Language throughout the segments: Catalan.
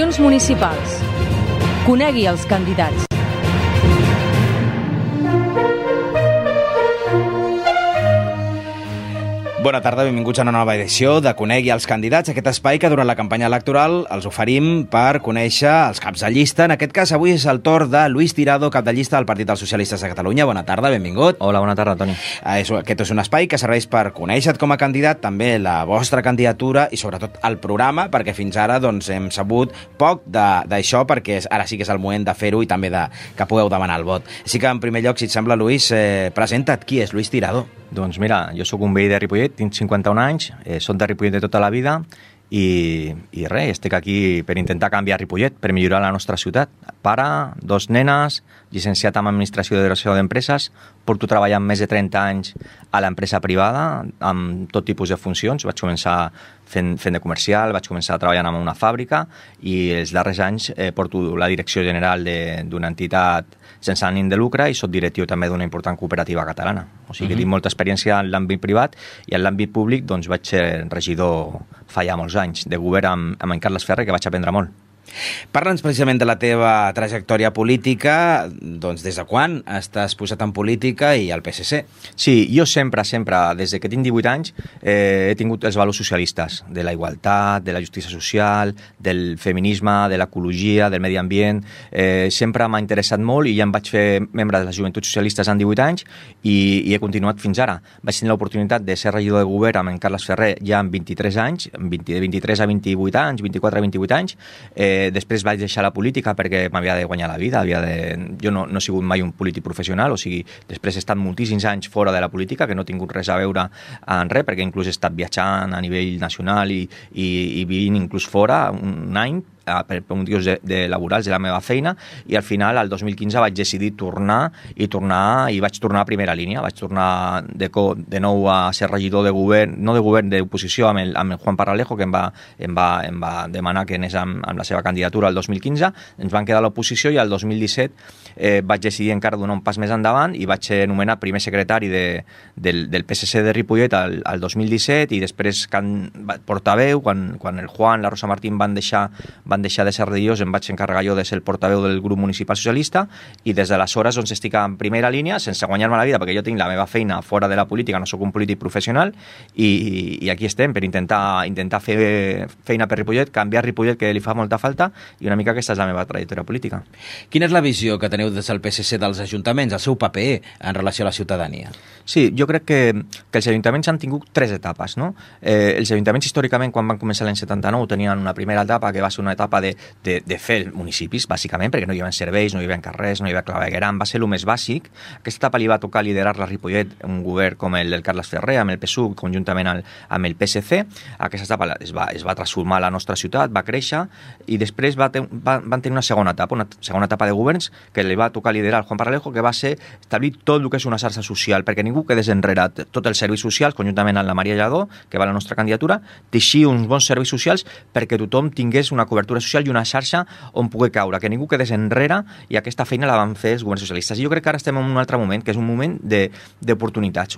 eleccions municipals. Conegui els candidats. Bona tarda, benvinguts a una nova edició de Conegui els candidats, aquest espai que durant la campanya electoral els oferim per conèixer els caps de llista. En aquest cas, avui és el torn de Luis Tirado, cap de llista del Partit dels Socialistes de Catalunya. Bona tarda, benvingut. Hola, bona tarda, Toni. Aquest és un espai que serveix per conèixer-te com a candidat, també la vostra candidatura i sobretot el programa, perquè fins ara hem sabut poc d'això, perquè ara sí que és el moment de fer-ho i també que pugueu demanar el vot. Així que, en primer lloc, si et sembla, Luis, presenta't. Qui és Luis Tirado? Doncs mira, jo sóc un veí de Ripollet, tinc 51 anys, soc de Ripollet de tota la vida i res, estic aquí per intentar canviar Ripollet, per millorar la nostra ciutat. Pare, 2 nenes, llicenciat en Administració de Direcció d'Empreses, porto treballant més de 30 anys a l'empresa privada, amb tot tipus de funcions. Vaig començar fent de comercial, vaig començar treballant en una fàbrica i els darrers anys porto la direcció general d'una entitat sense ànim de lucre i soc directiu també d'una important cooperativa catalana. O sigui que tinc molta experiència en l'àmbit privat i en l'àmbit públic doncs vaig ser regidor fa ja molts anys de govern amb en Carles Ferrer, que vaig aprendre molt. Parla'ns precisament de la teva trajectòria política, doncs des de quan estàs posat en política i al PSC? Sí, jo sempre, des que tinc 18 anys, he tingut els valors socialistes, de la igualtat, de la justícia social, del feminisme, de l'ecologia, del medi ambient. Sempre m'ha interessat molt i ja em vaig fer membre de les Joventuts Socialistes en 18 anys i he continuat fins ara. Vaig tenir l'oportunitat de ser regidor de govern amb en Carles Ferrer ja amb 23 anys, de 23 a 28 anys, 24 a 28 anys. Després vaig deixar la política perquè m'havia de guanyar la vida. Jo no he sigut mai un polític professional, o sigui, després he estat moltíssims anys fora de la política, que no he tingut res a veure en res, perquè inclús he estat viatjant a nivell nacional i vivint inclús fora un any, per motius laborals de la meva feina, i al final, el 2015, vaig decidir tornar i vaig tornar a primera línia. Vaig tornar de nou a ser regidor de govern, no de govern, d'oposició amb el Juan Parralejo, que em va demanar que anés amb la seva candidatura el 2015. Ens van quedar a l'oposició i el 2017 vaig decidir encara donar un pas més endavant i vaig ser nomenat primer secretari del PSC de Ripollet el 2017 i després portaveu, quan el Juan, la Rosa Martín van deixar de ser regidors, em vaig encarregar jo de ser el portaveu del grup municipal socialista i des d'aleshores estic en primera línia sense guanyar-me la vida, perquè jo tinc la meva feina fora de la política, no sóc un polític professional i aquí estem per intentar fer feina per Ripollet, canviar Ripollet, que li fa molta falta, i una mica aquesta és la meva trajectòria política. Quina és la visió que teniu des del PSC dels ajuntaments, el seu paper en relació a la ciutadania? Sí, jo crec que els ajuntaments han tingut 3 etapes, no? Els ajuntaments històricament, quan van començar l'any 79, tenien una primera etapa que va ser una etapa de fer municipis, bàsicament, perquè no hi havia serveis, no hi havia carrers, no hi havia clavegueram, va ser el més bàsic. Aquesta etapa li va tocar liderar-la a Ripollet, un govern com el del Carles Ferrer, amb el PSUV, conjuntament amb el PSC. Aquesta etapa es va transformar la nostra ciutat, va créixer, i després van tenir una segona etapa de governs que li va tocar liderar al Juan Parralejo, que va ser establir tot el que és una xarxa social, perquè ningú quedés enrere. Tots els serveis socials, conjuntament amb la Maria Lladó, que va a la nostra candidatura, teixir uns bons serveis socials perquè tothom tingués una cobertura social i una xarxa on pugui caure, que ningú quedés enrere, i aquesta feina la van fer els governs socialistes. I jo crec que ara estem en un altre moment, que és un moment d'oportunitats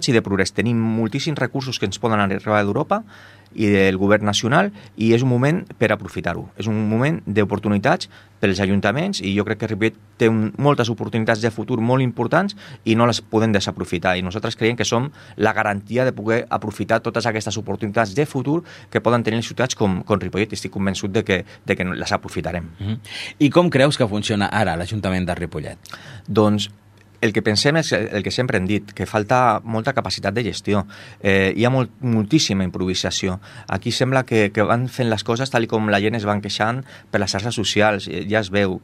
i de progrés. Tenim moltíssims recursos que ens poden arribar d'Europa i del govern nacional, i és un moment per aprofitar-ho. És un moment d'oportunitats pels ajuntaments, i jo crec que Ripollet té moltes oportunitats de futur molt importants i no les podem desaprofitar, i nosaltres creiem que som la garantia de poder aprofitar totes aquestes oportunitats de futur que poden tenir les ciutats com Ripollet, i estic convençut de que les aprofitarem. I com creus que funciona ara l'Ajuntament de Ripollet? Doncs el que pensem és el que sempre hem dit, que falta molta capacitat de gestió. Hi ha moltíssima improvisació. Aquí sembla que van fent les coses tal com la gent es van queixant per les xarxes socials. Ja es veu.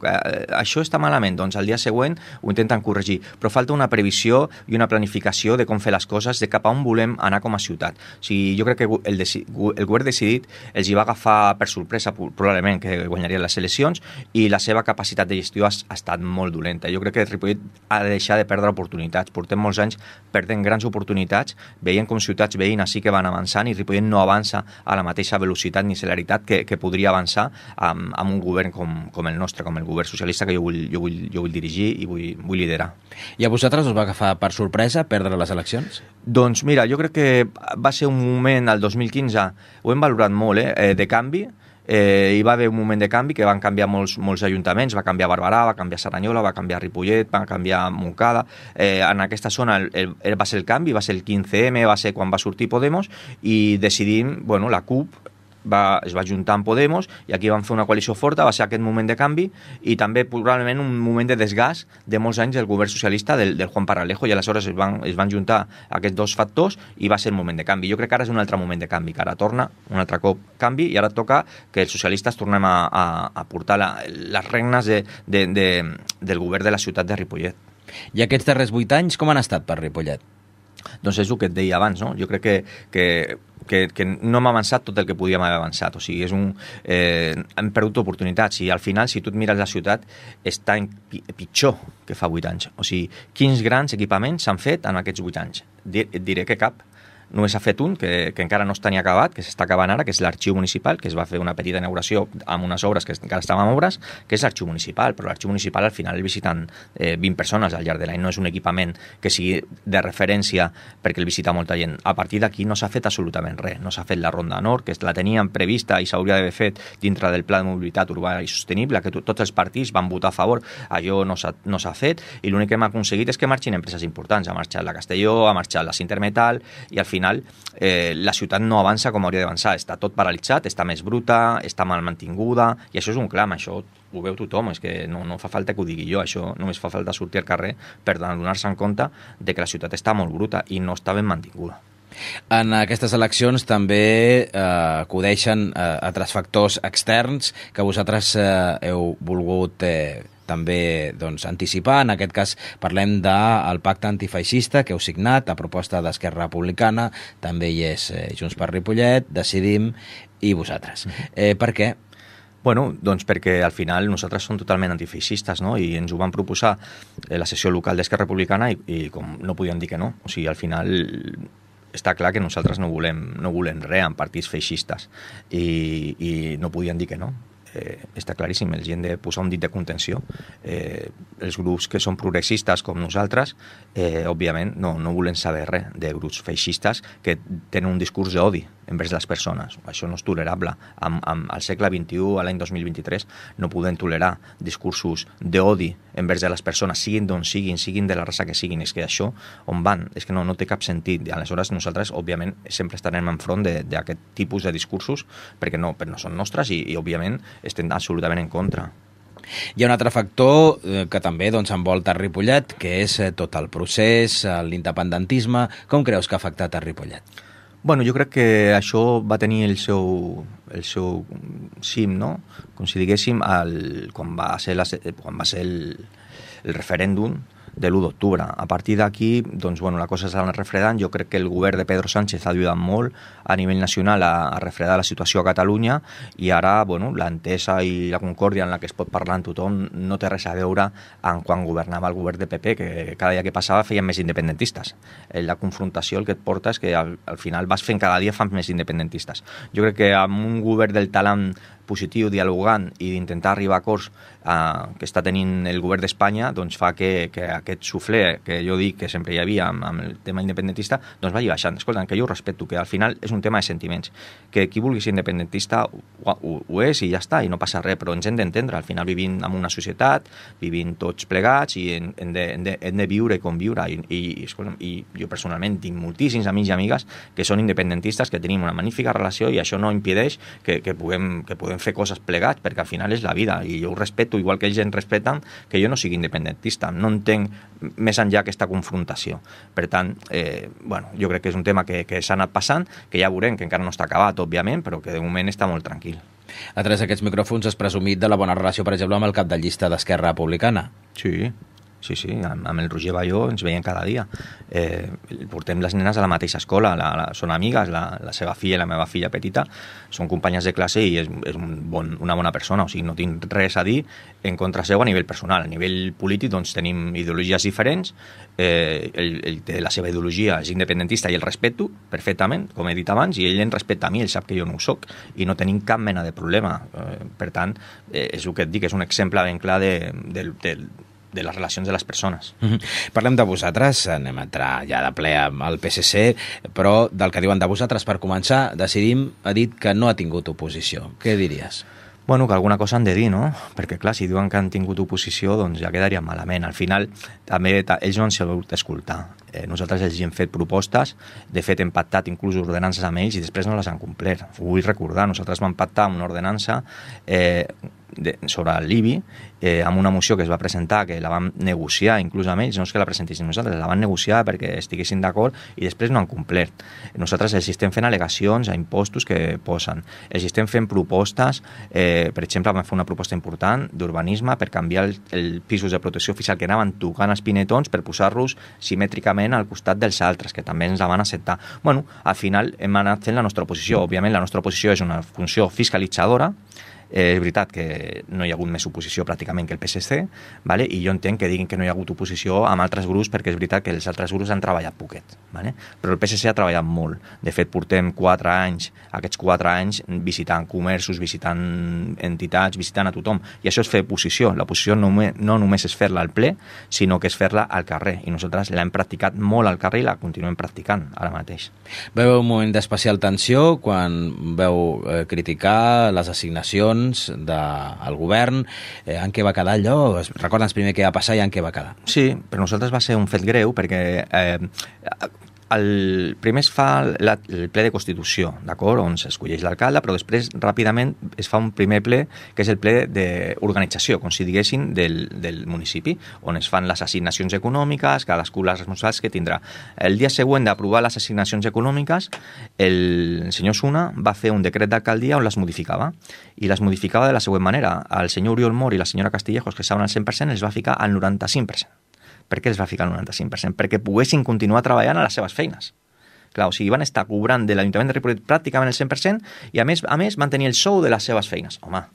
Això està malament, doncs al dia següent ho intenten corregir. Però falta una previsió i una planificació de com fer les coses, de cap a on volem anar com a ciutat. O sigui, jo crec que el govern decidit els hi va agafar per sorpresa, probablement, que guanyarien les eleccions, i la seva capacitat de gestió ha estat molt dolenta. Jo crec que Ripollet ha de deixar de perdre oportunitats. Portem molts anys perdent grans oportunitats, veient com ciutats veïnes sí que van avançant i Ripollet no avança a la mateixa velocitat ni celeritat que podria avançar amb un govern com el nostre, com el govern socialista que jo vull dirigir i vull liderar. I a vosaltres us va agafar per sorpresa perdre les eleccions? Doncs mira, jo crec que va ser un moment, el 2015, ho hem valorat molt, de canvi. hi va haver un moment de canvi que van canviar molts ajuntaments, va canviar Barberà, va canviar Cerdanyola, va canviar Ripollet, va canviar Montcada. En aquesta zona va ser el canvi, va ser el 15M, va ser quan va sortir Podemos, i decidim, bueno, la CUP es va juntar amb Podemos i aquí van fer una coalició forta, va ser aquest moment de canvi i també probablement un moment de desgast de molts anys del govern socialista del Juan Paralejo, i aleshores es van juntar aquests dos factors i va ser el moment de canvi. Jo crec que ara és un altre moment de canvi, que ara torna un altre cop canvi i ara toca que els socialistes tornem a portar les regnes del govern de la ciutat de Ripollet. I aquests darrers 8 anys com han estat per Ripollet? Doncs és el que et deia abans, no? Jo crec que no hem avançat tot el que podíem haver avançat, o sigui, hem perdut oportunitats i al final, si tu et mires la ciutat, està pitjor que fa 8 anys. O sigui, quins grans equipaments s'han fet en aquests 8 anys? Et diré que cap. Només s'ha fet un, que encara no està ni acabat, que s'està acabant ara, que és l'arxiu municipal, que es va fer una petita inauguració amb unes obres que encara estaven en obres, que és l'arxiu municipal, però l'arxiu municipal al final el visiten 20 persones al llarg de l'any, no és un equipament que sigui de referència perquè el visita molta gent. A partir d'aquí no s'ha fet absolutament res, no s'ha fet la Ronda Nord, que la teníem prevista i s'hauria d'haver fet dintre del Pla de Mobilitat Urbana i Sostenible, que tots els partits van votar a favor, allò no s'ha fet, i l'únic que hem aconseguit és que marxin empreses importants, ha marxat la Castelló, ha marxat la Sintermetal, i al final la ciutat no avança com hauria d'avançar, està tot paralitzat, està més bruta, està mal mantinguda, i això és un clam, això ho veu tothom, és que no fa falta que ho digui jo, això només fa falta sortir al carrer per donar-se en compte de que la ciutat està molt bruta i no està ben mantinguda. En aquestes eleccions també acudeixen altres factors externs que vosaltres heu volgut també anticipar. En aquest cas parlem del pacte antifeixista que heu signat a proposta d'Esquerra Republicana, també hi és Junts per Ripollet, Decidim i vosaltres. Per què? Bueno, doncs perquè al final nosaltres som totalment antifeixistes, no? I ens ho van proposar la sessió local d'Esquerra Republicana i com no podíem dir que no. O sigui, al final està clar que nosaltres no volem res amb partits feixistes i no podien dir que no. Està claríssim, els hem de posar un dit de contenció. Els grups que són progressistes com nosaltres, òbviament no volem saber res de grups feixistes que tenen un discurs d'odi envers les persones. Això no és tolerable. Al segle XXI, a l'any 2023, no podem tolerar discursos d'odi envers de les persones, siguin d'on siguin de la raça que siguin. És que això, on van? És que no té cap sentit. I aleshores nosaltres, òbviament, sempre estarem enfront d'aquest tipus de discursos perquè no són nostres i òbviament, estem absolutament en contra. Hi ha un altre factor que també envolta Ripollet, que és tot el procés, l'independentisme. Com creus que ha afectat a Ripollet? Bueno, jo crec que això va tenir el seu cim, no? Com si diguéssim, quan va ser el referèndum de l'1 d'octubre. A partir d'aquí, doncs, bueno, la cosa s'ha anat refredant. Jo crec que el govern de Pedro Sánchez ha ajudat molt a nivell nacional a refredar la situació a Catalunya i ara, bueno, l'entesa i la concòrdia en la que es pot parlar amb tothom no té res a veure amb quan governava el govern de PP, que cada dia que passava feien més independentistes. La confrontació el que et porta és que al final vas fent cada dia fan més independentistes. Jo crec que amb un govern del talent positiu, dialogant i d'intentar arribar a acords que està tenint el govern d'Espanya, doncs fa que aquest suflé que jo dic que sempre hi havia amb el tema independentista, doncs vagi baixant. Escolta, que jo ho respecto, que al final és un tema de sentiments, que qui vulgui ser independentista ho és i ja està, i no passa res, però ens hem d'entendre, al final vivim en una societat, vivim tots plegats i hem de viure i conviure, i jo personalment tinc moltíssims amics i amigues que són independentistes, que tenim una magnífica relació i això no impedeix que puguem fer coses plegats, perquè al final és la vida i jo ho respeto, igual que ells em respeten, que jo no sigui independentista, no entenc més enllà aquesta confrontació. Per tant, bueno, jo crec que és un tema que s'ha anat passant, que ja veurem, que encara no està acabat, òbviament, però que de moment està molt tranquil. A través d'aquests micròfons has presumit de la bona relació, per exemple, amb el cap de llista d'Esquerra Republicana. Sí, amb el Roger Balló ens veiem cada dia. Portem les nenes a la mateixa escola, són amigues, la seva filla i la meva filla petita són companyes de classe i és una bona persona, o sigui, no tinc res a dir en contra seu a nivell personal. A nivell polític doncs tenim ideologies diferents, ell té la seva ideologia, és independentista i el respeto perfectament, com he dit abans, i ell em respecta a mi, ell sap que jo no ho soc i no tenim cap mena de problema. Per tant, és el que et dic, és un exemple ben clar de les relacions de les persones. Parlem de vosaltres, anem a entrar ja de ple al PSC, però del que diuen de vosaltres, per començar, Decidim ha dit que no ha tingut oposició. Què diries? Bueno, que alguna cosa han de dir, no? Perquè, clar, si diuen que han tingut oposició, doncs ja quedaria malament. Al final, també ells no han sabut escoltar. Nosaltres els hem fet propostes, de fet hem pactat inclús ordenances amb ells i després no les han complert. Ho vull recordar, nosaltres vam pactar una ordenança sobre l'IBI amb una moció que es va presentar, que la vam negociar inclús amb ells, no és que la presentéssim nosaltres, la van negociar perquè estiguessin d'acord i després no han complert. Nosaltres els estem fent al·legacions a impostos que posen, els estem fent propostes, per exemple vam fer una proposta important d'urbanisme per canviar els pisos de protecció oficial que anaven tocant els pinetons per posar-los simètricament al costat dels altres, que també ens la van acceptar. Bueno, al final hem anat fent la nostra oposició. Òbviament la nostra oposició és una funció fiscalitzadora. És veritat que no hi ha hagut més oposició pràcticament que el PSC, vale? I jo entenc que diguin que no hi ha hagut oposició amb altres grups perquè és veritat que els altres grups han treballat poquet, vale? Però el PSC ha treballat molt. De fet, portem 4 anys, aquests 4 anys visitant comerços, visitant entitats, visitant a tothom. I això és fer oposició. L'oposició no només és fer-la al ple, sinó que és fer-la al carrer. I nosaltres l'hem practicat molt al carrer i la continuem practicant ara mateix. Veu un moment d'especial tensió quan veu criticar les assignacions del govern, en què va quedar allò? Recorda'ns primer què va passar i en què va quedar. Sí, per nosaltres va ser un fet greu perquè primer es fa el ple de Constitució, d'acord, on s'escolleix l'alcalde, però després ràpidament es fa un primer ple, que és el ple d'organització, com si diguessin, del municipi, on es fan les assignacions econòmiques, cadascú les responsabilitats que tindrà. El dia següent d'aprovar les assignacions econòmiques, el senyor Suna va fer un decret d'alcaldia on les modificava, i les modificava de la següent manera. El senyor Oriol Mor i la senyora Castillejos, que estaven al 100%, els va ficar al 95%. Per què els va ficar el 95%? Perquè poguessin continuar treballant a les seves feines. Clar, o sigui, van estar cobrant de l'Ajuntament de Ripollet pràcticament el 100% i a més van tenir el sou de les seves feines. Home,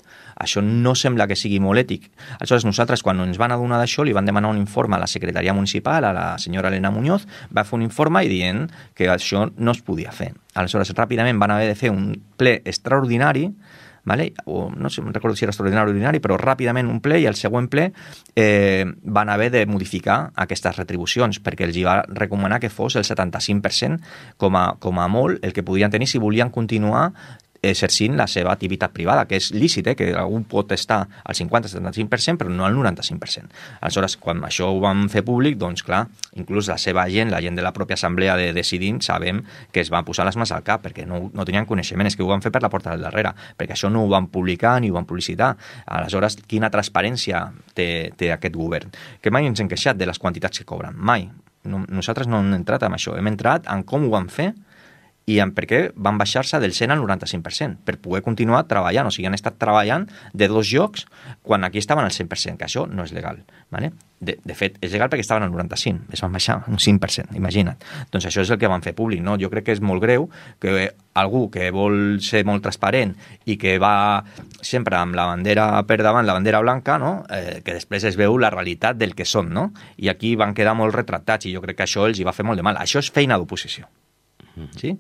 això no sembla que sigui molt ètic. Aleshores, nosaltres, quan ens van adonar d'això, li van demanar un informe a la secretaria municipal, a la senyora Elena Muñoz, va fer un informe i dient que això no es podia fer. Aleshores, ràpidament van haver de fer un ple extraordinari, vale? O no sé, no recordo si era extraordinari o ordinari, però ràpidament un ple i el següent ple van haver de modificar aquestes retribucions perquè els hi va recomanar que fos el 75% com a molt el que podien tenir si volien continuar exercint la seva activitat privada, que és lícit, que algú pot estar al 50-75%, però no al 95%. Aleshores, quan això ho vam fer públic, doncs clar, inclús la seva gent, la gent de la pròpia assemblea de Decidim, sabem que es van posar les mans al cap, perquè no tenien coneixement, és que ho van fer per la porta del darrere, perquè això no ho van publicar ni ho van publicitar. Aleshores, quina transparència té aquest govern? Que mai ens hem queixat de les quantitats que cobren, mai. Nosaltres no hem entrat en això, hem entrat en com ho van fer i en per què van baixar-se del 100 al 95%, per poder continuar treballant. O sigui, han estat treballant de 2 llocs quan aquí estaven al 100%, que això no és legal. ¿Vale? De fet, és legal perquè estaven al 95%, es van baixar un 5%, imagina't. Doncs això és el que van fer públic, no? Jo crec que és molt greu que algú que vol ser molt transparent i que va sempre amb la bandera per davant, la bandera blanca, no? Que després es veu la realitat del que són, no? I aquí van quedar molt retratats i jo crec que això els hi va fer molt de mal. Això és feina d'oposició. Sí?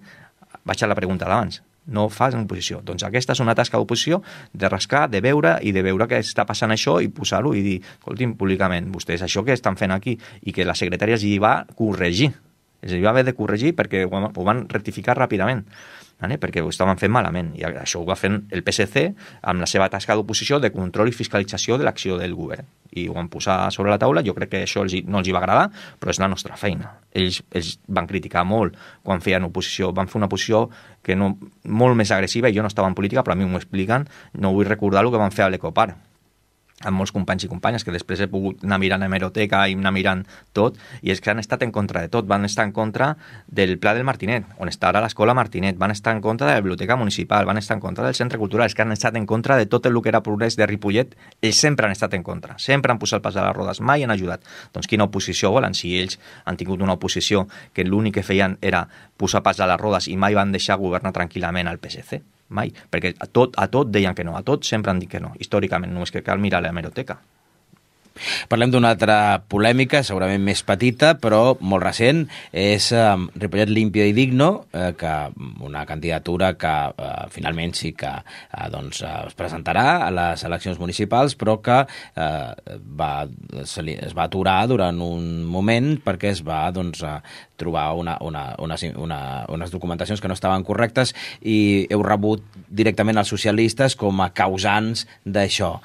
Vaig a la pregunta d'abans. No fas en oposició. Doncs aquesta és una tasca d'oposició de rascar, de veure i de veure què està passant això i posar-ho i dir, escolti'm, públicament, vostès això que estan fent aquí i que la secretària els hi va corregir. Els hi va haver de corregir perquè ho van rectificar ràpidament. ¿Vale? Perquè ho estaven fent malament i això ho va fent el PSC amb la seva tasca d'oposició de control i fiscalització de l'acció del govern i ho van posar sobre la taula. Jo crec que això no els hi va agradar, però és la nostra feina. Ells van criticar molt quan feien oposició, van fer una oposició que molt més agressiva i jo no estava en política, però a mi m'ho expliquen, no vull recordar el que van fer a l'Ecopar amb molts companys i companyes, que després he pogut anar mirant a hemeroteca i anar mirant tot, i és que han estat en contra de tot. Van estar en contra del Pla del Martinet, on està ara l'escola Martinet, van estar en contra de la biblioteca municipal, van estar en contra del centre cultural, és que han estat en contra de tot el que era progrés de Ripollet. Ells sempre han estat en contra, sempre han posat el pas a les rodes, mai han ajudat. Doncs quina oposició volen? Si ells han tingut una oposició que l'únic que feien era posar pas a les rodes i mai van deixar governar tranquil·lament al PSC. Mai, perquè a tot deien que no, a tot sempre han dit que no, històricament, només que cal mirar l'hemeroteca. Parlem d'una altra polèmica, segurament més petita, però molt recent, és Ripollet Limpio i Digno, que una candidatura que finalment sí que es presentarà a les eleccions municipals, però que es va aturar durant un moment perquè es va trobar unes documentacions que no estaven correctes i heu rebut directament els socialistes com a causants d'això.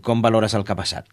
Com valores el que ha passat?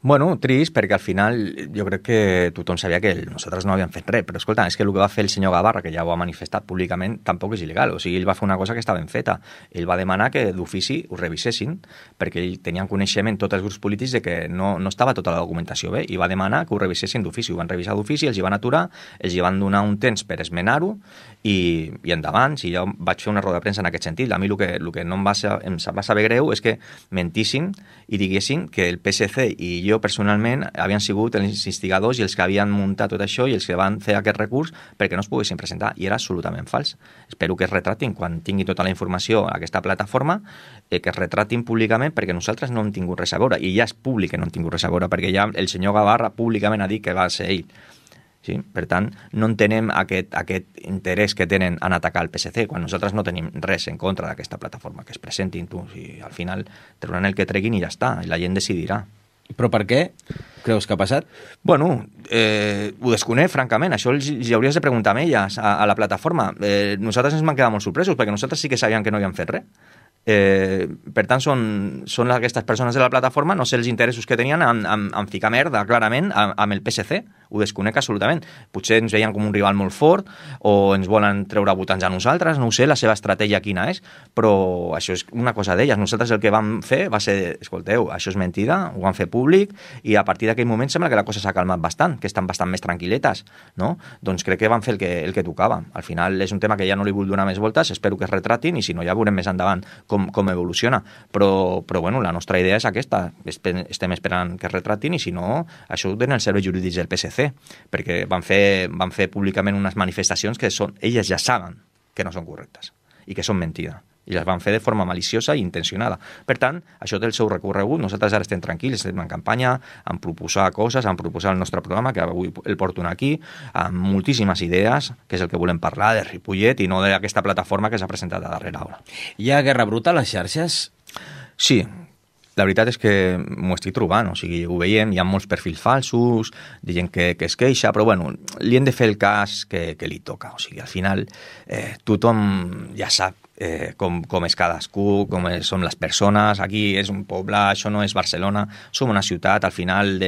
Bueno, trist, perquè al final jo crec que tothom sabia que nosaltres no havíem fet res, però escolta, és que el que va fer el senyor Gavarra, que ja ho ha manifestat públicament, tampoc és il·legal, o sigui, ell va fer una cosa que estava ben feta. Ell va demanar que d'ofici ho revisessin, perquè ell tenia coneixement tots els grups polítics de que no estava tota la documentació bé, i va demanar que ho revisessin d'ofici. Ho van revisar d'ofici, els hi van aturar, els hi van donar un temps per esmenar-ho, i endavant, si jo vaig fer una roda de premsa en aquest sentit. A mi el que no em va saber greu és que mentissin i diguessin que el PSC i jo personalment havien sigut els instigadors i els que havien muntat tot això i els que van fer aquest recurs perquè no es poguessin presentar, i era absolutament fals. Espero que es retratin quan tingui tota la informació a aquesta plataforma, que es retratin públicament, perquè nosaltres no hem tingut res a veure, i ja és públic que no hem tingut res a veure, perquè ja el senyor Gavarra públicament ha dit que va ser ell. Sí? Per tant, no entenem aquest interès que tenen en atacar el PSC, quan nosaltres no tenim res en contra d'aquesta plataforma, que es presentin tu, i al final trauran el que treguin i ja està, i la gent decidirà. Però per què creus que ha passat? Bueno, ho desconec, francament. Això els hauries de preguntar a elles, a la plataforma. Nosaltres ens vam quedar molt sorpresos, perquè nosaltres sí que sabíem que no havien fet res. Per tant, són aquestes persones de la plataforma, no sé els interessos que tenien en ficar merda, clarament, amb el PSC. Ho desconec absolutament. Potser ens veien com un rival molt fort o ens volen treure votants a nosaltres, no ho sé, la seva estratègia quina és, però això és una cosa d'elles. Nosaltres el que vam fer va ser, escolteu, això és mentida, ho vam fer públic, i a partir d'aquell moment sembla que la cosa s'ha calmat bastant, que estan bastant més tranquil·letes, no? Doncs crec que van fer el que tocava. Al final és un tema que ja no li vull donar més voltes, espero que es retratin, i si no ja veurem més endavant com evoluciona. Però bueno, la nostra idea és aquesta, estem esperant que es retratin, i si no, això ho tenen els serveis jurídics del PSC, perquè van fer públicament unes manifestacions que elles ja saben que no són correctes i que són mentida, i les van fer de forma maliciosa i intencionada. Per tant, això té el seu recorregut. Nosaltres ara estem tranquils, estem en campanya, en proposar coses, en proposar el nostre programa, que avui el porto aquí, amb moltíssimes idees, que és el que volem parlar de Ripollet i no d'aquesta plataforma que s'ha presentat a darrera hora. Hi ha guerra bruta a les xarxes? Sí. La veritat és que m'ho estic trobant, o sigui, ho veiem, hi ha molts perfils falsos, de gent que es queixa, però bueno, li hem de fer el cas que li toca, o sigui, al final tothom ja sap com és cadascú, com són les persones. Aquí és un poble, això no és Barcelona, som una ciutat, al final,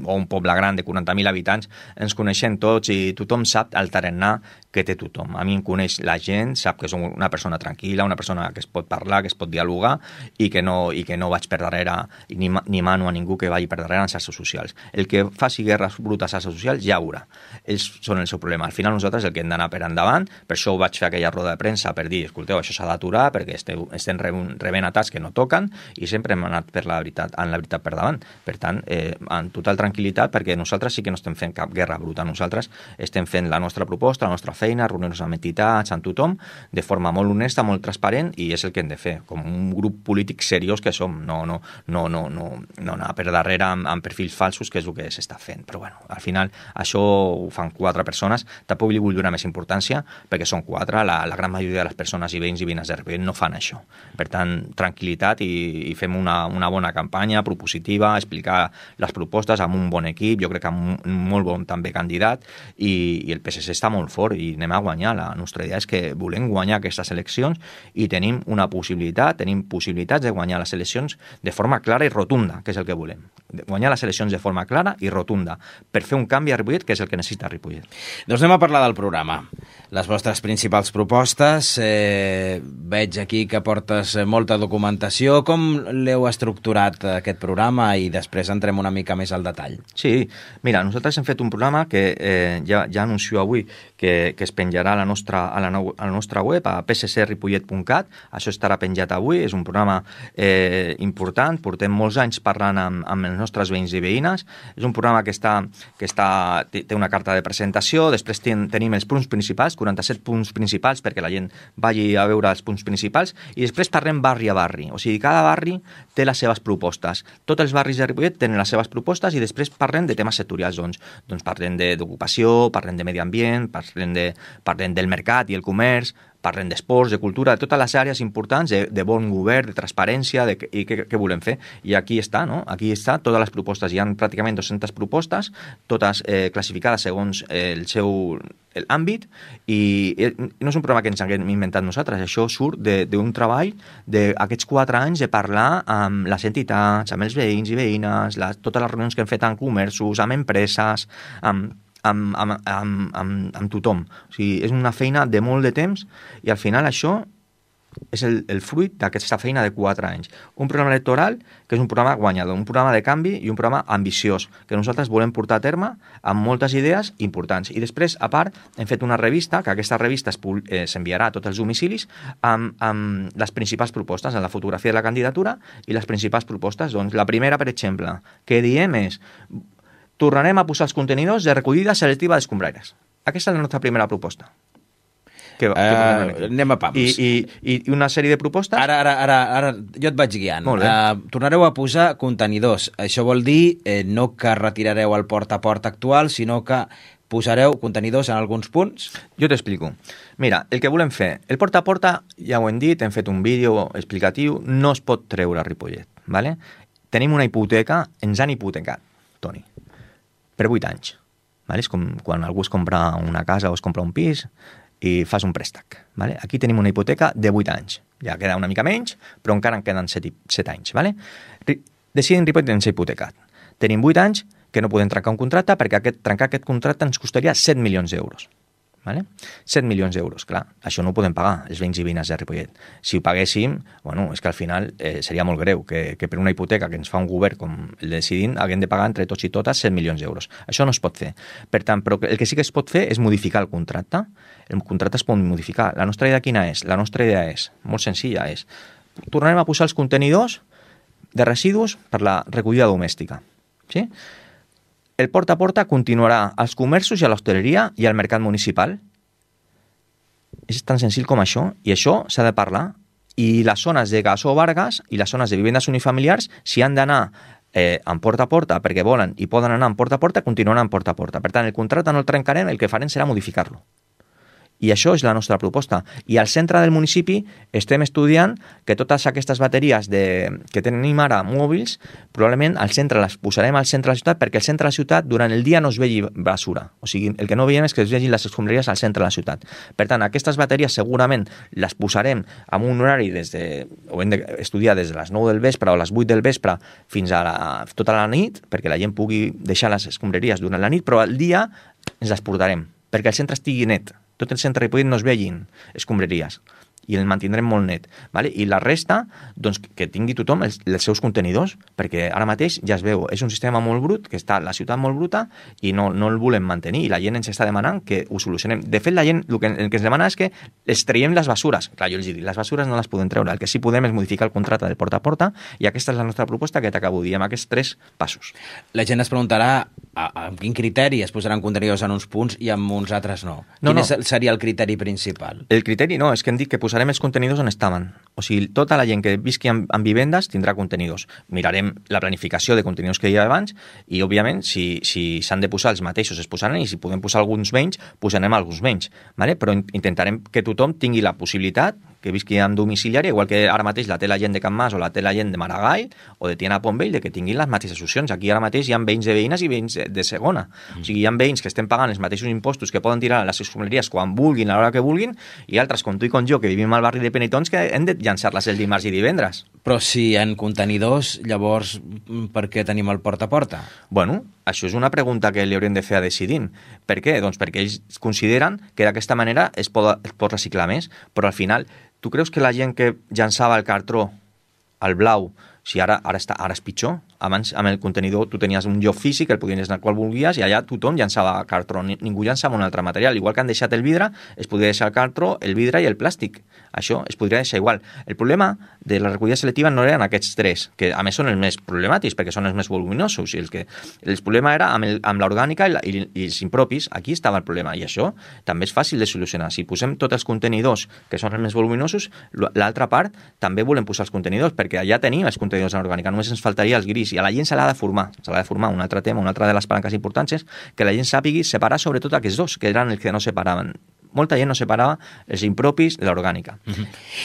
o un poble gran de 40.000 habitants, ens coneixem tots i tothom sap el tarannà que té tothom. A mi em coneix la gent, sap que som una persona tranquil·la, una persona que es pot parlar, que es pot dialogar, i que no vaig per darrere, ni mano a ningú que vagi per darrere en xarxes socials. El que faci guerres brutes a xarxes socials ja ho veurà. Ells són el seu problema. Al final nosaltres el que hem d'anar per endavant, per això ho vaig fer aquella roda de premsa per dir, escolteu, això s'ha d'aturar perquè estem rebent atacs que no toquen, i sempre hem anat en la veritat per davant. Per tant, en total tranquil·litat, perquè nosaltres sí que no estem fent cap guerra bruta. Nosaltres estem fent la nostra proposta, la nostra feina, reunir-nos amb entitats, amb tothom, de forma molt honesta, molt transparent, i és el que hem de fer, com un grup polític seriós que som, no anar per darrere amb perfils falsos, que és el que s'està fent. Però bueno, al final això ho fan 4 persones, tampoc li vull donar més importància, perquè són 4, la gran majoria de les persones i veïns i veïnes de Ripollet no fan això. Per tant, tranquil·litat, i fem una bona campanya propositiva, explicar les propostes amb un bon equip, jo crec que amb un molt bon també candidat, i el PSC està molt fort i anem a guanyar. La nostra idea és que volem guanyar aquestes eleccions i tenim possibilitats de guanyar les eleccions de forma clara i rotunda, que és el que volem. Guanyar les eleccions de forma clara i rotunda per fer un canvi a Ripollet, que és el que necessita Ripollet. Doncs anem a parlar del programa. Les vostres principals propostes, veig aquí que portes molta documentació. Com l'heu estructurat aquest programa, i després entrem una mica més al detall? Sí, mira, nosaltres hem fet un programa que ja anuncio avui que es penjarà a la nostra web, a pssripollet.cat. Això estarà penjat avui. És un programa important. Portem molts anys parlant amb els nostres veïns i veïnes. És un programa que té una carta de presentació. Després tenim els punts principals, 47 punts principals, perquè la gent vagi a veure els punts principals. I després parlem barri a barri. O sigui, cada barri té les seves propostes. Tots els barris de Ripollet tenen les seves propostes i després parlem de temes sectorials. Doncs parlem d'ocupació, parlem de medi ambient, parlem del mercat i el comerç, parlem d'esports, de cultura, de totes les àrees importants, de bon govern, de transparència, i què volem fer. I aquí està, no? Aquí està totes les propostes. Hi ha pràcticament 200 propostes, totes classificades segons el seu àmbit, i no és un programa que ens haguem inventat nosaltres, això surt d'un treball d'aquests 4 anys de parlar amb les entitats, amb els veïns i veïnes, totes les reunions que hem fet amb comerços, amb empreses, amb tothom. O sigui, és una feina de molt de temps i al final això és el fruit d'aquesta feina de 4 anys. Un programa electoral que és un programa guanyador, un programa de canvi i un programa ambiciós, que nosaltres volem portar a terme amb moltes idees importants. I després, a part, hem fet una revista, que aquesta revista s'enviarà a tots els domicilis amb les principals propostes, amb la fotografia de la candidatura i les principals propostes. Doncs la primera, per exemple, que diem és: tornarem a posar els contenidors de recollida selectiva d'escombraires. Aquesta és la nostra primera proposta. Anem a pams. I una sèrie de propostes... Ara jo et vaig guiant. Tornareu a posar contenidors. Això vol dir no que retirareu el porta a porta actual, sinó que posareu contenidors en alguns punts? Jo t'explico. Mira, el que volem fer, el porta a porta, ja ho hem dit, hem fet un vídeo explicatiu, no es pot treure a Ripollet. ¿Vale? Tenim una hipoteca, ens han hipotecat, Toni, per 8 anys. ¿Vale? És com quan algú es compra una casa o es compra un pis i fas un préstec. ¿Vale? Aquí tenim una hipoteca de 8 anys. Ja queda una mica menys, però encara en queden 7 anys. ¿Vale? Decidint Ripollet ens ha hipotecat. Tenim 8 anys que no podem trencar un contracte perquè trencar aquest contracte ens costaria 7 milions d'euros. ¿Vale? 7 milions d'euros, clar, això no ho podem pagar els veïns i veïnes de Ripollet. Si ho paguéssim, bueno, és que al final seria molt greu que per una hipoteca que ens fa un govern com el Decidim haguem de pagar entre tots i totes 7 milions d'euros. Això no es pot fer. Per tant, però el que sí que es pot fer és modificar el contracte. El contracte es pot modificar. La nostra idea quina és? La nostra idea és, molt senzilla, és tornarem a posar els contenidors de residus per la recollida domèstica. Sí? El porta a porta continuarà als comerços i a l'hostaleria i al mercat municipal. És tan senzill com això, i això s'ha de parlar. I les zones de Gassó Vargas i les zones de vivendes unifamiliars, si han d'anar en porta a porta perquè volen i poden anar en porta a porta, continuaran en porta a porta. Per tant, el contracte no el trencarem, el que farem serà modificar-lo. I això és la nostra proposta. I al centre del municipi estem estudiant que totes aquestes bateries que tenim ara mòbils, probablement al centre les posarem al centre de la ciutat, perquè al centre de la ciutat durant el dia no es vegi basura. O sigui, el que no veiem és que es vegin les escombraries al centre de la ciutat. Per tant, aquestes bateries segurament les posarem en un horari ho hem d'estudiar des de les 9 del vespre o les 8 del vespre fins a tota la nit, perquè la gent pugui deixar les escombraries durant la nit, però al dia ens les portarem, perquè el centre estigui net. Tot el centre de Ripollet no es vegin escombraries i el mantindrem molt net. ¿Vale? I la resta, doncs, que tingui tothom els seus contenidors, perquè ara mateix ja es veu, és un sistema molt brut, que està la ciutat molt bruta i no el volem mantenir, i la gent ens està demanant que ho solucionem. De fet, la gent el que ens demana és que els traiem les basures. Clar, jo els dic, les basures no les podem treure, el que sí podem és modificar el contracte de porta a porta, i aquesta és la nostra proposta que t'acabo de dir, amb aquests 3 passos. La gent es preguntarà amb quin criteri es posaran contenidors en uns punts i en uns altres no. Quin seria el criteri principal? El criteri no, és que hem dit que posarem els contenidors on estaven. O sigui, tota la gent que visqui en vivendes tindrà contenidors. Mirarem la planificació de contenidors que hi ha abans i, òbviament, si s'han de posar els mateixos es posaran, i si podem posar alguns menys, posarem alguns menys. ¿Vale? Però intentarem que tothom tingui la possibilitat que visqui en domiciliari, igual que ara mateix la té la gent de Can Mas o la té la gent de Maragall o de Tiana Pontvell, de que tinguin les mateixes opcions. Aquí ara mateix hi ha veïns de veïnes i veïns de segona. O sigui, hi ha veïns que estem pagant els mateixos impostos, que poden tirar a les escombraries quan vulguin, a l'hora que vulguin, i altres, com tu i com jo, que vivim al barri de Penitons, que hem de llançar-les el dimarts i divendres. Però si hi ha contenidors, llavors per què tenim el porta a porta? Bueno, això és una pregunta que li haurem de fer a Decidim. Per què? Doncs perquè ells consideren que d'aquesta manera es pot reciclar més, però al final, tu creus que la gent que llançava el cartró al blau, si ara és pitjor, abans amb el contenidor tu tenies un lloc físic, el podies anar qual volguies, i allà tothom llançava cartró, ningú llançava un altre material. Igual que han deixat el vidre, es podria deixar el cartró, el vidre i el plàstic. Això es podria deixar igual. El problema de la recollida selectiva no eren aquests tres, que a més són els més problemàtics, perquè són els més voluminosos, i el problema era amb l'orgànica i els impropis. Aquí estava el problema, i això també és fàcil de solucionar. Si posem tots els contenidors, que són els més voluminosos, l'altra part també volem posar els contenidors, perquè allà tenim els contenidors en orgànica, només ens faltaria els gris, i a la gent se l'ha de formar. Un altre tema, una altra de les palanques importants és que la gent sàpigui separar sobretot aquests dos, que eren els que no separaven. Molta gent no separava els impropis de l'orgànica.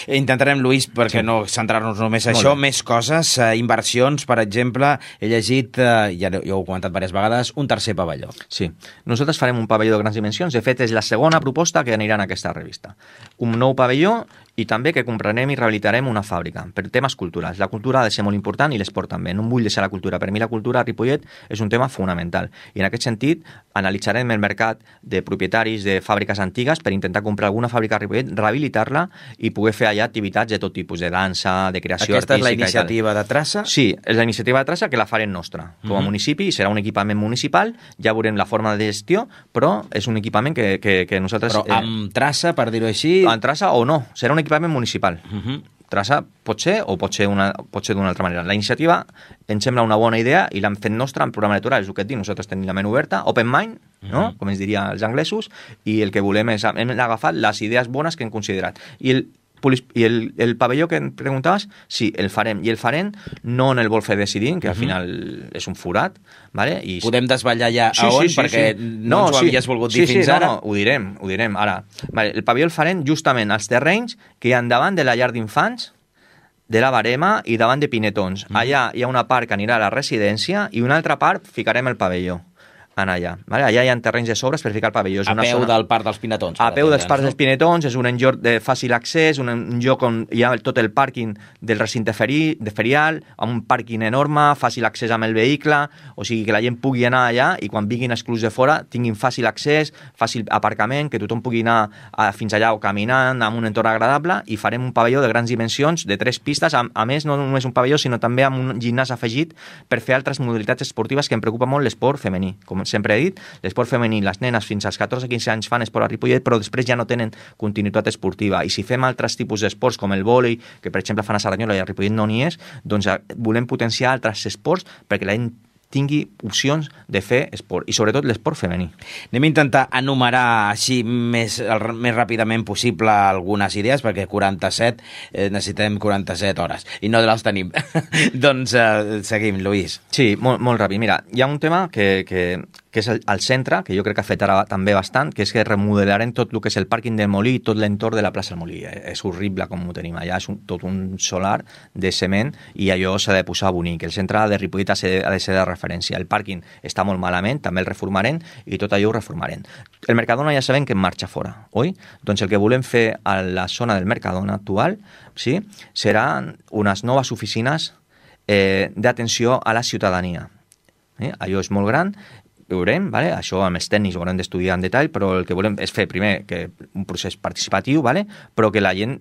Intentarem, Lluís, perquè no centrar-nos només a això, més coses, inversions, per exemple, he llegit, ja ho he comentat diverses vegades, un tercer pavelló. Sí, nosaltres farem un pavelló de grans dimensions, de fet és la segona proposta que anirà en aquesta revista. Un nou pavelló i també que comprarem i rehabilitarem una fàbrica per temes culturals. La cultura ha de ser molt important i l'esport també. No em vull deixar la cultura. Per mi la cultura a Ripollet és un tema fonamental. I en aquest sentit analitzarem el mercat de propietaris de fàbriques antigues per intentar comprar alguna fàbrica a Ripollet, rehabilitar-la i poder fer allà activitats de tot tipus, de dansa, de creació artística. Aquesta és la iniciativa de Traça? Sí, és la iniciativa de Traça que la farem nostra. Com a municipi serà un equipament municipal, ja veurem la forma de gestió, però és un equipament que nosaltres... Però amb Traça, per dir-ho així... Amb Traça o no, serà un equipament municipal. Traça pot ser o pot ser d'una altra manera. La iniciativa ens sembla una bona idea i l'hem fet nostra en programa electoral, és el que et dic, nosaltres tenim la ment oberta, open mind, no? Com es diria els anglesos, i el que volem és, hem agafat les idees bones que hem considerat. I el pavelló que em preguntaves, sí, el farem. I el farem no en el Golfe de Sidín, que al final és un forat, ¿vale? I podem desvetllar ja a on, perquè no ens ho havies volgut dir fins ara. No, ho direm ara. Vale, el pavelló el farem justament als terrenys que hi ha davant de la llar d'infants, de la Barema i davant de Pinetons. Allà hi ha una part que anirà a la residència i una altra part ficarem el pavelló. Allà. Vale? Allà hi ha terrenys de sobres per ficar el pavelló. És a peu del Parc dels Pinetons. A peu dels Parcs dels Pinetons, és un lloc de fàcil accés, un lloc on hi ha tot el pàrquing del recinte ferial, amb un pàrquing enorme, fàcil accés amb el vehicle, o sigui que la gent pugui anar allà i quan vinguin els clubs de fora tinguin fàcil accés, fàcil aparcament, que tothom pugui anar fins allà o caminant amb un entorn agradable, i farem un pavelló de grans dimensions, de 3 pistes, a més no només un pavelló, sinó també amb un gimnàs afegit per fer altres modalitats esportives, que em preocupa molt l'esport femení. Com sempre he dit, l'esport femení, les nenes fins als 14-15 anys fan esport a Ripollet, però després ja no tenen continuïtat esportiva. I si fem altres tipus d'esports, com el vòlei, que per exemple fan a Cerdanyola i a Ripollet no n'hi és, doncs volem potenciar altres esports perquè la gent tingui opcions de fer esport, i sobretot l'esport femení. Anem a intentar enumerar així més ràpidament possible algunes idees, perquè 47 necessitem 47 hores, i no les tenim. Doncs seguim, Lluís. Sí, molt ràpid. Mira, hi ha un tema que és el centre, que jo crec que afectarà també bastant, que és que remodelarem tot el que és el pàrquing del Molí i tot l'entorn de la plaça del Molí. És horrible com ho tenim allà, és tot un solar de cement i allò s'ha de posar bonic. El centre de Ripollet ha de ser de referència. El pàrquing està molt malament, també el reformarem i tot allò ho reformarem. El Mercadona ja sabem que en marxa fora, oi? Doncs el que volem fer a la zona del Mercadona actual, sí, seran unes noves oficines d'atenció a la ciutadania. Allò és molt gran, veurem, vale? Això amb els tècnics ho haurem d'estudiar en detall, però el que volem és fer primer que un procés participatiu, vale? Però que la gent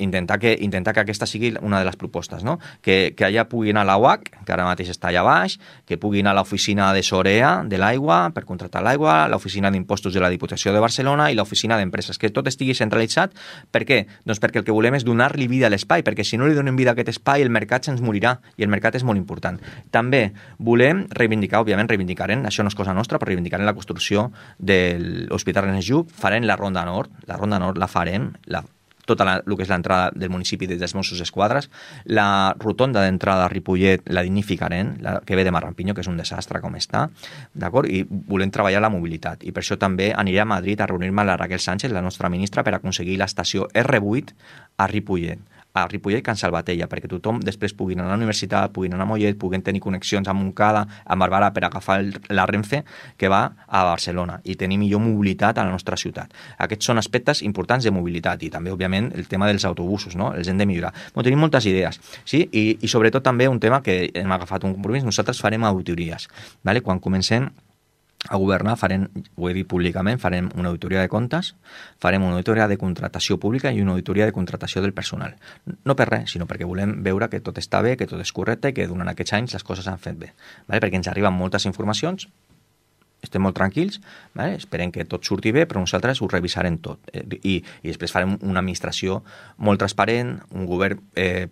intentar que aquesta sigui una de les propostes, no? Que allà pugui anar la UAC, que ara mateix està allà baix, que pugui anar a l'oficina de Sorea de l'aigua per contractar l'aigua, l'oficina d'impostos de la Diputació de Barcelona i l'oficina d'empreses, que tot estigui centralitzat. Per què? Doncs perquè el que volem és donar-li vida a l'espai, perquè si no li donem vida a aquest espai el mercat se'ns morirà, i el mercat és molt important. També volem reivindicar, això no és cosa nostra, però reivindicarem la construcció de l'Hospital Ernest Lluch, farem la Ronda Nord la farem, tota el que és l'entrada del municipi des dels Mossos d'Esquadra, la rotonda d'entrada a Ripollet la dignificarem, la que ve de Marrampiño, que és un desastre com està, d'acord? I volem treballar la mobilitat, i per això també aniré a Madrid a reunir-me amb la Raquel Sánchez, la nostra ministra, per aconseguir l'estació R8 a Ripollet, Can Salvatella, perquè tothom després pugui anar a la universitat, pugui anar a Mollet, puguin tenir connexions amb Montcada, amb Barberà, per agafar la Renfe que va a Barcelona i tenir millor mobilitat a la nostra ciutat. Aquests són aspectes importants de mobilitat, i també, òbviament, el tema dels autobusos, no? Els hem de millorar. Tenim moltes idees, sí? I sobretot també un tema que hem agafat un compromís, nosaltres farem auditories, ¿vale? Quan comencem a governar, ho he dit públicament, farem una auditoria de comptes, farem una auditoria de contratació pública i una auditoria de contratació del personal. No per res, sinó perquè volem veure que tot està bé, que tot és correcte i que durant aquests anys les coses s'han fet bé. Vale? Perquè ens arriben moltes informacions, estem molt tranquils, vale? Esperem que tot surti bé, però nosaltres ho revisarem tot. I després farem una administració molt transparent, un govern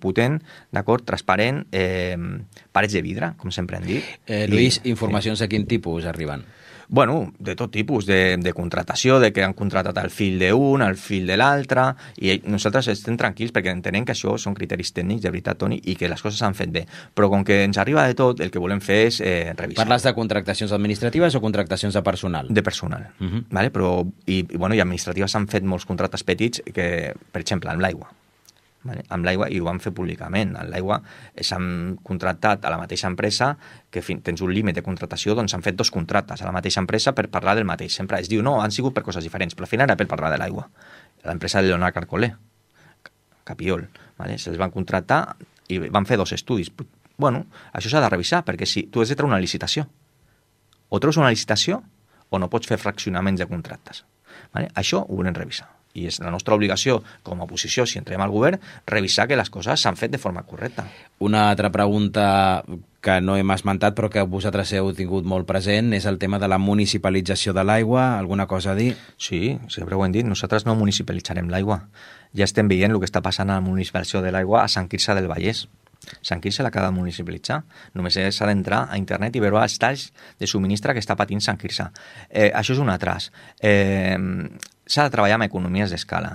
potent, d'acord, transparent, parets de vidre, com sempre hem dit. Lluís, informacions de quin tipus arriben? Bueno, de tot tipus, de contratació, de que han contratat el fill d'un, el fill de l'altre, i nosaltres estem tranquils perquè entenem que això són criteris tècnics, de veritat, Toni, i que les coses s'han fet bé. Però com que ens arriba de tot, el que volem fer és revisar. Parles de contractacions administratives o contractacions de personal? De personal, vale? Però, i administratives s'han fet molts contractes petits, que, per exemple, amb l'aigua. Vale? Amb l'aigua, i ho vam fer públicament, amb l'aigua s'han contractat a la mateixa empresa, que tens un límit de contratació, doncs s'han fet 2 contractes a la mateixa empresa per parlar del mateix. Sempre es diu, no, han sigut per coses diferents, però al final era per parlar de l'aigua. L'empresa de Leonard Carcolé, Capiol, vale? Se'ls van contractar i van fer 2 estudis. Bueno, això s'ha de revisar, perquè si tu has de treure una licitació, o treus una licitació o no pots fer fraccionaments de contractes. Vale? Això ho volem revisar. I és la nostra obligació, com a oposició, si entrem al govern, revisar que les coses s'han fet de forma correcta. Una altra pregunta que no hem esmentat, però que vosaltres heu tingut molt present, és el tema de la municipalització de l'aigua. Alguna cosa a dir? Sí, sempre ho hem dit. Nosaltres no municipalitzarem l'aigua. Ja estem veient el que està passant a la municipalització de l'aigua a Sant Quirze del Vallès. Sant Quirze l'acaba de municipalitzar. Només s'ha d'entrar a internet i veure els talls de subministre que està patint Sant Quirze. Això és un atras. S'ha de treballar amb economies d'escala.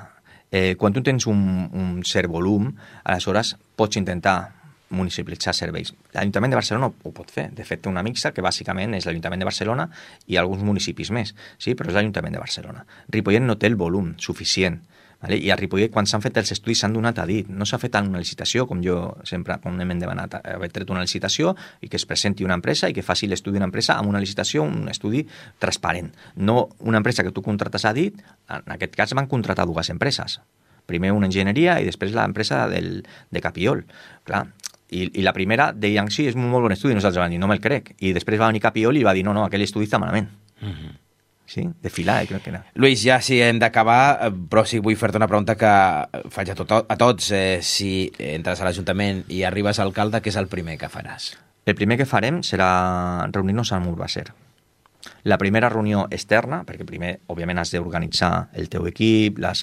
Quan tu tens un cert volum, aleshores pots intentar municipalitzar serveis. L'Ajuntament de Barcelona ho pot fer. De fet, té una mixa que bàsicament és l'Ajuntament de Barcelona i alguns municipis més, sí? Però és l'Ajuntament de Barcelona. Ripollet no té el volum suficient. Vale? I a Ripollet, quan s'han fet els estudis, s'han donat a dit. No s'ha fet en una licitació, com jo sempre, quan hem demanat haver tret una licitació i que es presenti una empresa i que faci l'estudi d'una empresa amb una licitació, un estudi transparent. No una empresa que tu contrates a dit, en aquest cas van contratar 2 empreses. Primer una enginyeria i després l'empresa de Capiol. Clar, i la primera deien, sí, és un molt bon estudi, nosaltres vam dir, no me'l crec. I després va venir Capiol i va dir, no, aquell estudi està malament. Sí? De filar, crec que era. Lluís, ja sí, hem d'acabar, però sí vull fer-te una pregunta que faig a tots. Si entres a l'Ajuntament i arribes a alcalde, què és el primer que faràs? El primer que farem serà reunir-nos amb Urbacer. La primera reunió externa, perquè primer, òbviament, has d'organitzar el teu equip, les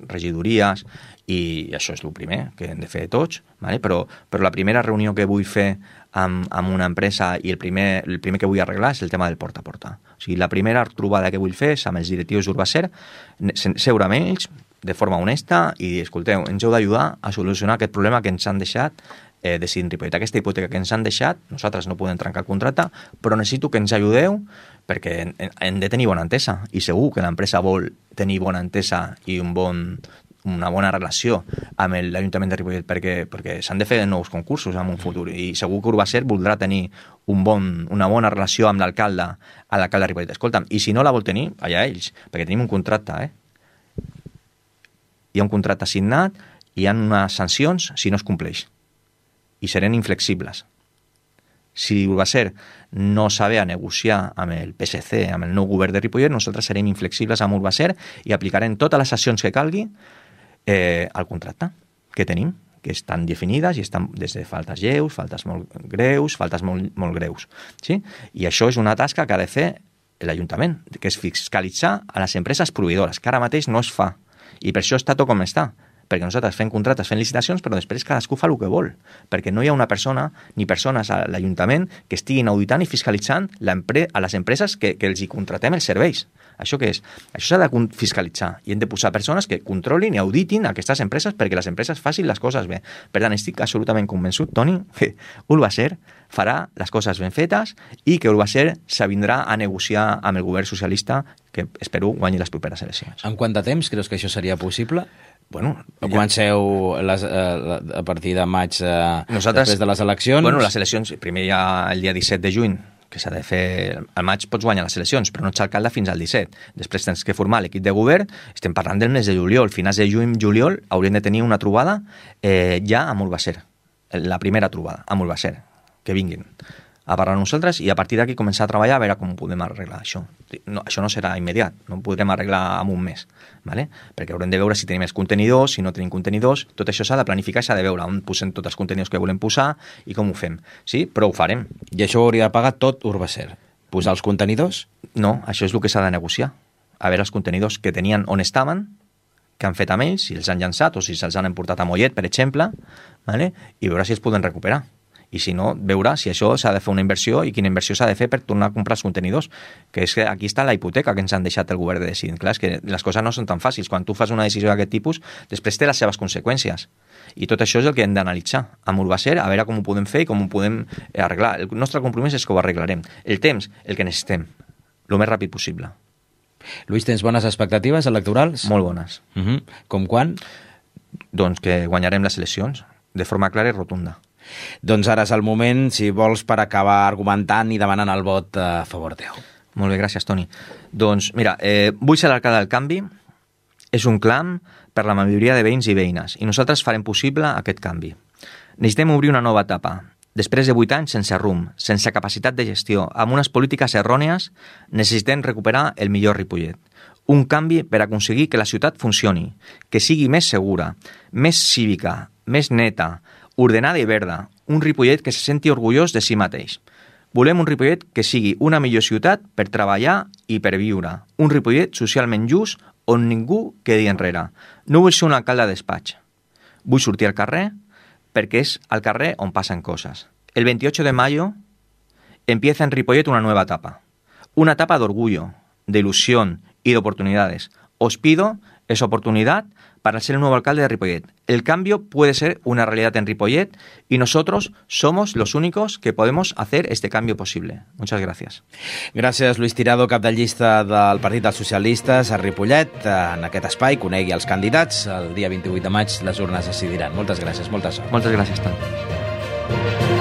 regidories, i això és el primer que hem de fer tots, vale? Però la primera reunió que vull fer amb una empresa i el primer que vull arreglar és el tema del porta a porta. O sigui, la primera trobada que vull fer és amb els directius d'Urbacer, seure amb ells de forma honesta i dir, escolteu, ens heu d'ajudar a solucionar aquest problema que ens han deixat decidint Ripollet. Aquesta hipoteca que ens han deixat, nosaltres no podem trencar el contracte, però necessito que ens ajudeu perquè hem de tenir bona entesa. I segur que l'empresa vol tenir bona entesa i una bona relació amb l'Ajuntament de Ripollet perquè s'han de fer nous concursos en un futur i segur que Urbacer voldrà tenir una bona relació amb l'alcalde de Ripollet. Escolta'm, i si no la vol tenir, allà ells, perquè tenim un contracte, Hi ha un contracte assignat i hi ha unes sancions si no es compleix. I serem inflexibles. Si Urbacer no sabe a negociar amb el PSC, amb el nou govern de Ripollet, nosaltres serem inflexibles amb Urbacer i aplicarem totes les accions que calgui al contracte que tenim, que estan definides i estan des de faltes lleus, faltes molt greus, faltes molt greus. Sí? I això és una tasca que ha de fer l'Ajuntament, que és fiscalitzar a les empreses proveïdores, que ara mateix no es fa. I per això està tot com està. Perquè nosaltres fem contractes, fem licitacions, però després cadascú fa el que vol. Perquè no hi ha una persona ni persones a l'Ajuntament que estiguin auditant i fiscalitzant a les empreses que els hi contratem els serveis. Això què és? Això s'ha de fiscalitzar i hem de posar persones que controlin i auditin aquestes empreses perquè les empreses facin les coses bé. Per tant, estic absolutament convençut, Toni, que Urbacer farà les coses ben fetes i que Urbacer s'avindrà a negociar amb el govern socialista que espero guanyi les properes eleccions. En quant de temps creus que això seria possible? Bueno, comenceu a partir de maig després de les eleccions? Bueno, les eleccions, primer hi ha el dia 17 de juny, que s'ha de fer... Al maig pots guanyar les eleccions, però no ets alcalde fins al 17. Després tens que formar l'equip de govern, estem parlant del mes de juliol. Finals de juny-juliol hauríem de tenir una trobada ja amb Urbacer. La primera trobada amb Urbacer, que vinguin. a parlar nosaltres i a partir d'aquí començar a treballar a veure com podem arreglar això. No, això no serà immediat, no ho podrem arreglar en un mes, ¿vale? Perquè haurem de veure si tenim els contenidors, si no tenim contenidors, tot això s'ha de planificar, s'ha de veure on posem tots els contenidors que volem posar i com ho fem, sí? Però ho farem. I això ho hauria de pagar tot Urbacer? Posar els contenidors? No, això és el que s'ha de negociar. A veure els contenidors que tenien on estaven, que han fet amb ells, si els han llançat o si se'ls han emportat a Mollet, per exemple, ¿vale? I veure si els poden recuperar. I si no, veure si això s'ha de fer una inversió i quina inversió s'ha de fer per tornar a comprar els contenidors, que és que aquí està la hipoteca que ens han deixat el govern de decidir. Clar, és que les coses no són tan fàcils. Quan tu fas una decisió d'aquest tipus, després té les seves conseqüències. I tot això és el que hem d'analitzar amb Urbacer, a veure com ho podem fer i com ho podem arreglar. El nostre compromís és que ho arreglarem. El temps, el que necessitem, el més ràpid possible. Lluís, tens bones expectatives electorals? Molt bones. Com quan? Doncs que guanyarem les eleccions de forma clara i rotunda. Doncs ara és el moment, si vols, per acabar argumentant i demanant el vot a favor teu. Molt bé, gràcies, Toni. Doncs, mira, vull ser l'alcalde del canvi. És un clam per la majoria de veïns i veïnes i nosaltres farem possible aquest canvi. Necessitem obrir una nova etapa. Després de 8 anys sense rumb, sense capacitat de gestió, amb unes polítiques errònies, necessitem recuperar el millor Ripollet. Un canvi per aconseguir que la ciutat funcioni, que sigui més segura, més cívica, més neta, ordenada i verda, un Ripollet que se senti orgullós de si mateix. Volem un Ripollet que sigui una millor ciutat per treballar i per viure, un Ripollet socialment just on ningú quedi enrere. No vull ser un alcalde de despatx. Vull sortir al carrer perquè és al carrer on passen coses. El 28 de mayo empieza en Ripollet una nueva etapa. Una etapa de orgullo, de ilusión y de oportunidades. Os pido esa oportunidad para ser el nuevo alcalde de Ripollet. El cambio puede ser una realidad en Ripollet y nosotros somos los únicos que podemos hacer este cambio posible. Muchas gracias. Gràcies, Lluís Tirado, cap de llista del Partit dels Socialistes a Ripollet. En aquest espai conegui els candidats. El dia 28 de maig les urnes decidiran. Moltes gràcies, molta sort. Moltes gràcies, Toni.